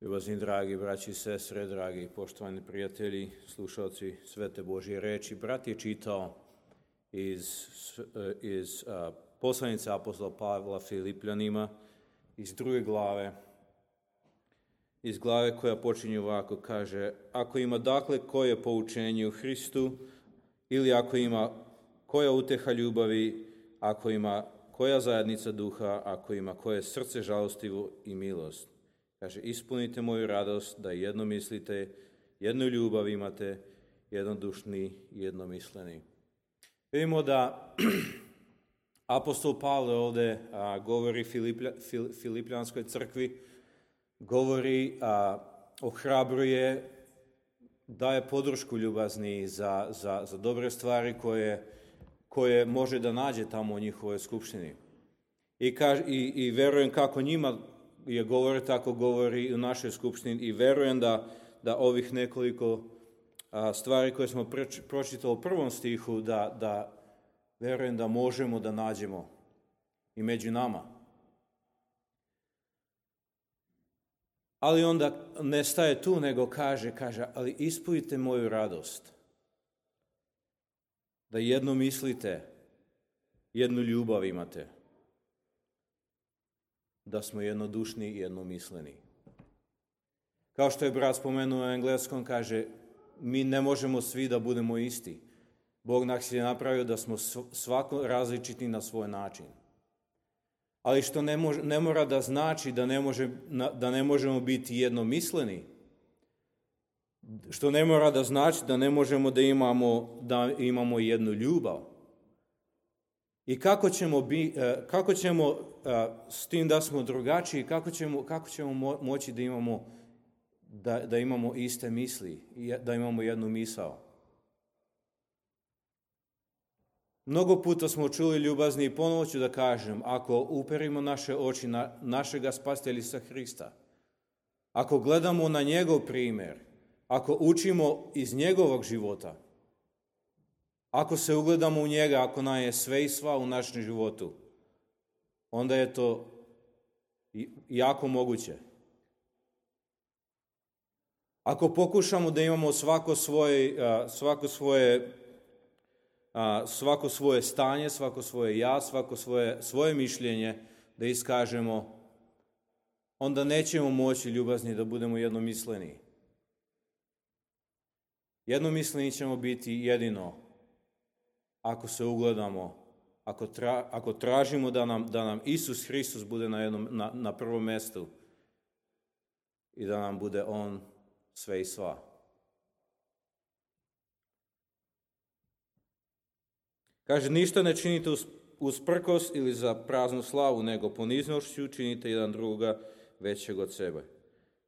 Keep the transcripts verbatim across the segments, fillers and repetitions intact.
Ljubazni dragi braći i sestre, dragi poštovani prijatelji, slušalci Svete Božje reči, brat je čitao iz, iz a, poslanice apostola Pavla Filipljanima, iz druge glave, iz glave koja počinje ovako, kaže: ako ima dakle koje poučenje u Hristu, ili ako ima koja uteha ljubavi, ako ima koja zajednica duha, ako ima koje srce žalostivo i milost. Kaže, ispunite moju radost da jedno mislite, jednu ljubav imate, jednodušni i jednomisleni. Vidimo da apostol Pavle ovdje a, govori Filiplja, Fil, Filipljanskoj crkvi, govori, a, ohrabruje, daje podršku ljubazni za, za, za dobre stvari koje, koje može da nađe tamo u njihovoj skupštini. I, kaž, i, i verujem kako njima je govori, tako govori i u našoj skupštini, i verujem da, da ovih nekoliko a, stvari koje smo preč, pročitali u prvom stihu, da, da verujem da možemo da nađemo i među nama. Ali onda ne staje tu, nego kaže, kaže, ali ispunite moju radost. Da jedno mislite, jednu ljubav imate. Da smo jednodušni i jednomisleni. Kao što je brat spomenuo u engleskom, kaže, mi ne možemo svi da budemo isti. Bog nas je napravio da smo svako različiti na svoj način. Ali što ne, može, ne mora da znači da ne, može, da ne možemo biti jednomisleni. Što ne mora da znači da ne možemo da imamo, da imamo jednu ljubav. I kako ćemo, bi, kako ćemo s tim da smo drugačiji, kako ćemo, kako ćemo moći da imamo, da, da imamo iste misli, da imamo jednu misao. Mnogo puta smo čuli, ljubazni, i ponovo ću da kažem, ako uperimo naše oči na našega Spasitelja Hrista, ako gledamo na njegov primjer, ako učimo iz njegovog života, ako se ugledamo u njega, ako nam je sve i sva u našem životu, onda je to jako moguće. Ako pokušamo da imamo svako svoje, svako svoje, svako svoje stanje, svako svoje ja, svako svoje, svoje mišljenje da iskažemo, onda nećemo moći, ljubazni, da budemo jednomisleni. Jednomisleni ćemo biti jedino ako se ugledamo, ako, tra, ako tražimo da nam, da nam Isus Hristos bude na, jednom, na, na prvom mjestu i da nam bude On sve i sva. Kaže, ništa ne činite usprkos ili za praznu slavu, nego poniznošću činite jedan drugoga većeg od sebe.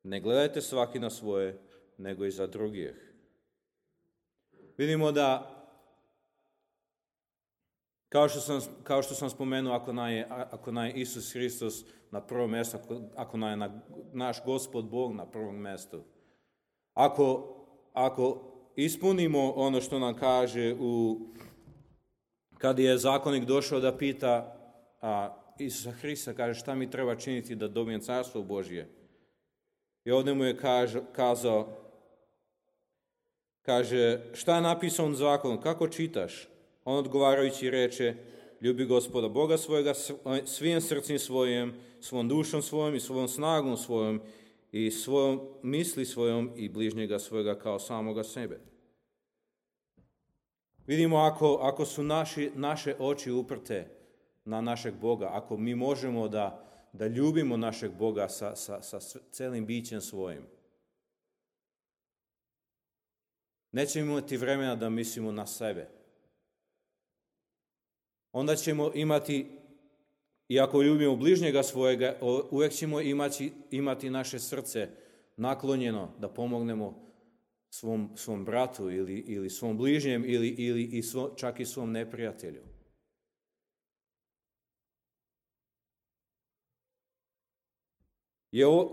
Ne gledajte svaki na svoje, nego i za drugih. Vidimo da Kao što sam, kao što sam spomenuo, ako nam je, ako nam je Isus Hristos na prvom mjestu, ako, ako nam je na, naš Gospod Bog na prvom mjestu, ako, ako ispunimo ono što nam kaže, u, kad je zakonik došao da pita a, Isusa Hrista, kaže, šta mi treba činiti da dobijem carstvo Božje? I ovdje mu je kaže, kazao, kaže, šta je napisano u zakonu, kako čitaš? On odgovarajući reče, ljubi Gospoda Boga svojega svim srcem svojim, svom dušom svojom i svojom snagom svojom i svojom misli svojom i bližnjega svojega kao samoga sebe. Vidimo, ako, ako su naši, naše oči uprte na našeg Boga, ako mi možemo da, da ljubimo našeg Boga sa, sa, sa celim bićem svojim, nećemo imati vremena da mislimo na sebe. Onda ćemo imati, i ako ljubimo bližnjega svojega, uvijek ćemo imati, imati naše srce naklonjeno da pomognemo svom, svom bratu ili, ili svom bližnjem ili, ili i svo, čak i svom neprijatelju.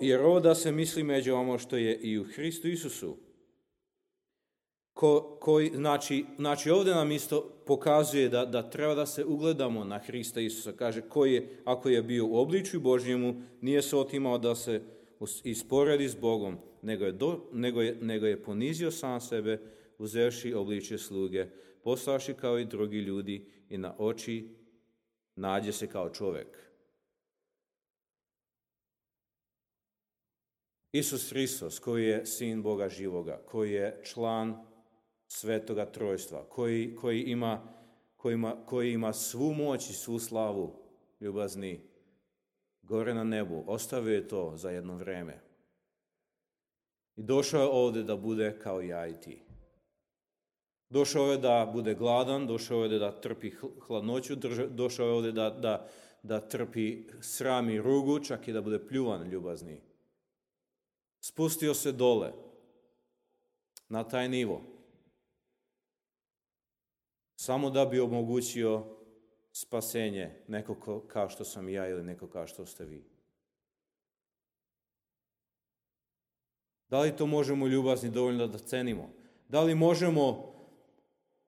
Jer ovo da se misli među ono što je i u Hristu Isusu, Ko, koji, znači, znači ovdje nam isto pokazuje da, da treba da se ugledamo na Hrista Isusa. Kaže, koji je, ako je bio u obličju Božjemu, nije se otimao da se i sporedi s Bogom, nego je, do, nego, je, nego je ponizio sam sebe, uzevši obličje sluge, postavši kao i drugi ljudi i na oči nađe se kao čovjek. Isus Hristos, koji je sin Boga živoga, koji je član Svetoga Trojstva, koji, koji, ima, koji, ima, koji ima svu moć i svu slavu, ljubazni, gore na nebu, ostavio je to za jedno vrijeme. I došao je ovdje da bude kao ja i ti. Došao je da bude gladan, došao je da trpi hladnoću, došao je ovdje da, da, da trpi sram i rugu, čak i da bude pljuvan, ljubazni. Spustio se dole, na taj nivo, samo da bi omogućio spasenje neko kao što sam ja ili neko kao što ste vi. Da li to možemo, ljubazni, dovoljno da cenimo? Da li možemo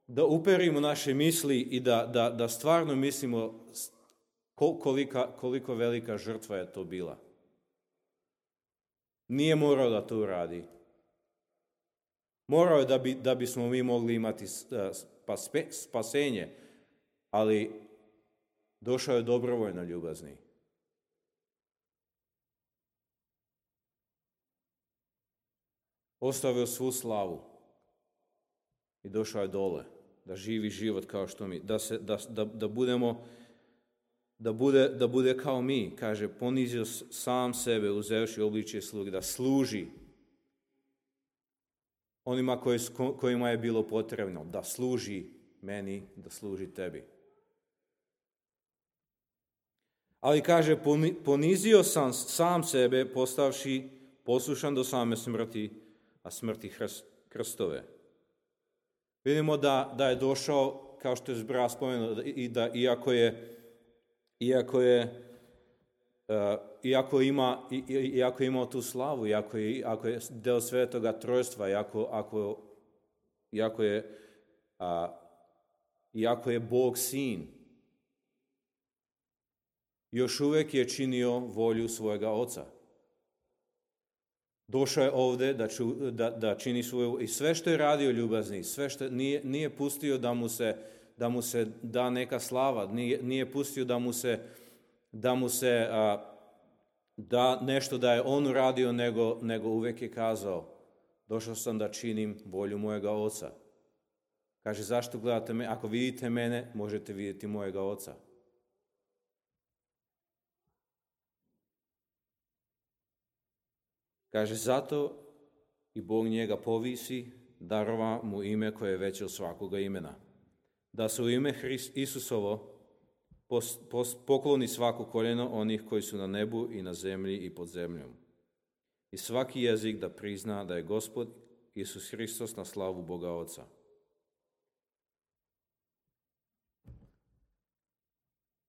da uperimo naše misli i da, da, da stvarno mislimo kolika, koliko velika žrtva je to bila? Nije morao da to uradi. Morao je da, bi, da bismo mi mogli imati spasenje, ali došao je dobrovoljno, ljubazni. Ostavio svu slavu i došao je dole, da živi život kao što mi, da, se, da, da, da budemo, da bude, da bude kao mi, kaže, ponizio sam sebe, uzevši obličje sluge, da služi onima koji, kojima je bilo potrebno, da služi meni, da služi tebi. Ali kaže, ponizio sam sam sebe, postavši poslušan do same smrti, a smrti krstove. Vidimo da, da je došao, kao što je brat spomenuo, i da iako je, iako je, uh, iako ima, i, iako je imao tu slavu, iako je, ako je deo Svetoga Trojstva, iako, ako, iako je, uh, iako je Bog sin, još uvijek je činio volju svojega Oca. Došao je ovdje da, ču, da, da čini svoju, i sve što je radio, ljubazni, sve što nije, nije pustio da mu se, da mu se da neka slava, nije, nije pustio da mu se, da mu se a, da nešto da je on uradio, nego, nego uvijek je kazao, došao sam da činim volju mojega Oca. Kaže, zašto gledate me? Ako vidite mene, možete vidjeti mojega Oca. Kaže, zato i Bog njega povisi, darova mu ime koje je veće od svakoga imena. Da se u ime Hrist, Isusovo pos, pos, pokloni svako koljeno onih koji su na nebu i na zemlji i pod zemljom. I svaki jezik da prizna da je Gospod Isus Hristos na slavu Boga Oca.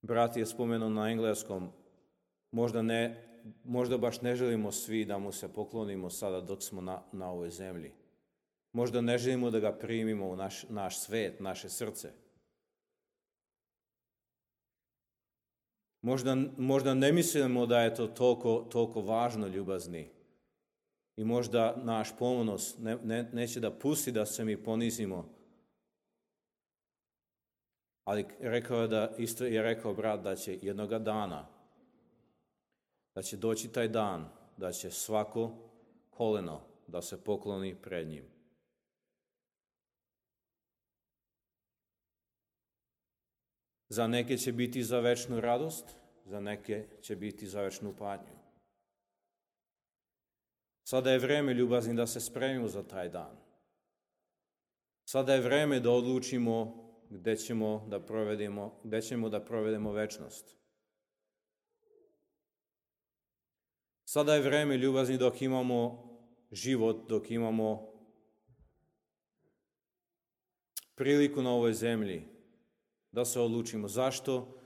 Brat je spomenuo na engleskom, možda ne Možda baš ne želimo svi da mu se poklonimo sada dok smo na, na ovoj zemlji. Možda ne želimo da ga primimo u naš, naš svet, naše srce. Možda, možda ne mislimo da je to toliko, toliko važno, ljubazni. I možda naš ponos ne, ne, neće da pusti da se mi ponizimo. Ali rekao je da, isto je rekao brat da će jednoga dana da će doći taj dan, da će svako koleno da se pokloni pred njim. Za neke će biti za večnu radost, za neke će biti za večnu patnju. Sada je vreme, ljubazni, da se spremimo za taj dan. Sada je vreme da odlučimo gdje ćemo da provedemo, gdje ćemo da provedemo večnost. Sada je vreme, ljubazni, dok imamo život, dok imamo priliku na ovoj zemlji, da se odlučimo. Zašto?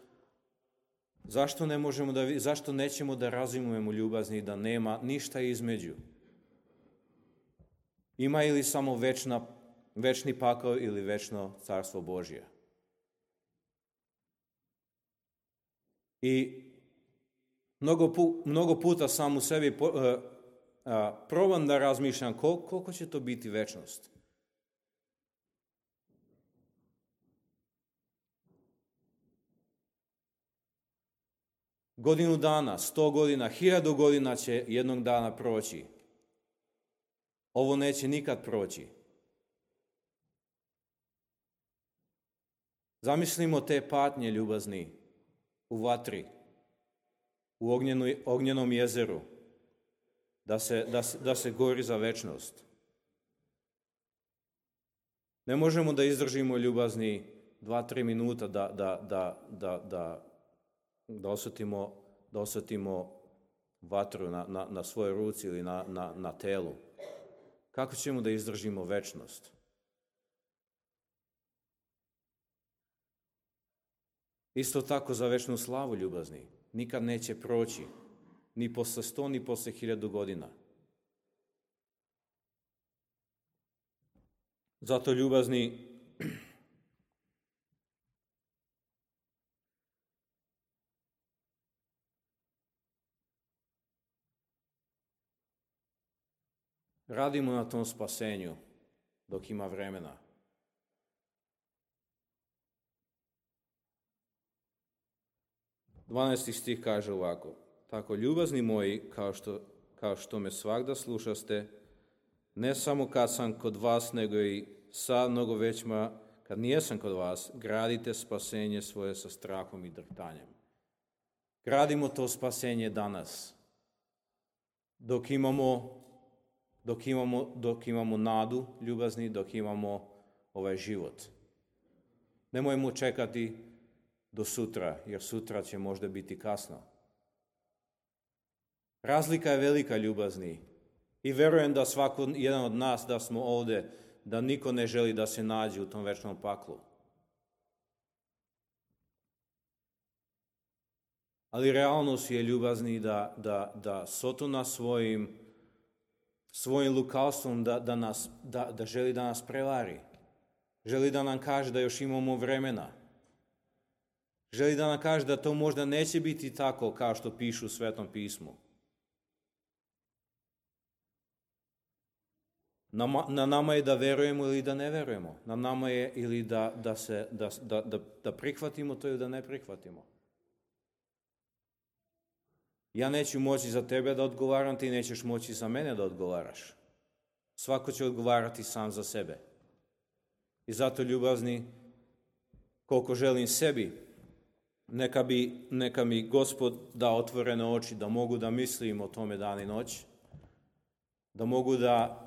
Zašto ne možemo da, zašto nećemo da razumijemo, ljubazni, da nema ništa između? Ima ili samo večna, večni pakao ili večno carstvo Božje? I Mnogo, pu, mnogo puta sam u sebi po, uh, uh, probam da razmišljam kol, koliko će to biti večnost. Godinu dana, sto godina, hiljadu godina će jednog dana proći. Ovo neće nikad proći. Zamislimo te patnje, ljubazni, u vatri, u ognjenu, ognjenom jezeru, da se, da, da se gori za večnost. Ne možemo da izdržimo, ljubazni, dva, tri minuta da, da, da, da, da, da, osjetimo, da osjetimo vatru na, na, na svojoj ruci ili na, na, na telu. Kako ćemo da izdržimo večnost? Isto tako za večnu slavu, ljubazni, nikad neće proći, ni posle sto, ni posle hiljadu godina. Zato, ljubazni, radimo na tom spasenju dok ima vremena. dvanaesti stih kaže ovako: tako, ljubazni moji, kao što, kao što me svagda slušaste, ne samo kad sam kod vas, nego i sad mnogo većma, kad nijesam kod vas, gradite spasenje svoje sa strahom i drhtanjem. Gradimo to spasenje danas, dok imamo, dok imamo, dok imamo nadu, ljubazni, dok imamo ovaj život. Nemojmo čekati do sutra, jer sutra će možda biti kasno. Razlika je velika, ljubazni, i verujem da svako jedan od nas, da smo ovde, da niko ne želi da se nađe u tom večnom paklu. Ali realnost je, ljubazni, da, da, da Sotona svojim, svojim lukavstvom da, da, nas, da, da želi da nas prevari. Želi da nam kaže da još imamo vremena. Želi da nam kaže da to možda neće biti tako kao što pišu u Svetom pismu. Na, na nama je da verujemo ili da ne verujemo. Na nama je ili da, da, se, da, da, da, da prihvatimo to ili da ne prihvatimo. Ja neću moći za tebe da odgovaram, ti nećeš moći za mene da odgovaraš. Svako će odgovarati sam za sebe. I zato, ljubazni, koliko želim sebi, neka, bi, neka mi Gospod da otvorene oči, da mogu da mislim o tome dan i noć, da mogu da,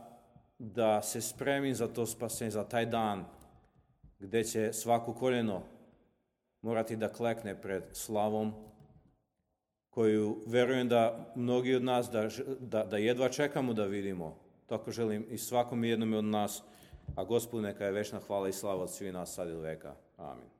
da se spremim za to spasenje, za taj dan gde će svako koljeno morati da klekne pred slavom, koju verujem da mnogi od nas da, da, da jedva čekamo da vidimo. Tako želim i svakom jednom od nas, a Gospodu neka je večna hvala i slava od svih nas sad i do veka. Amin.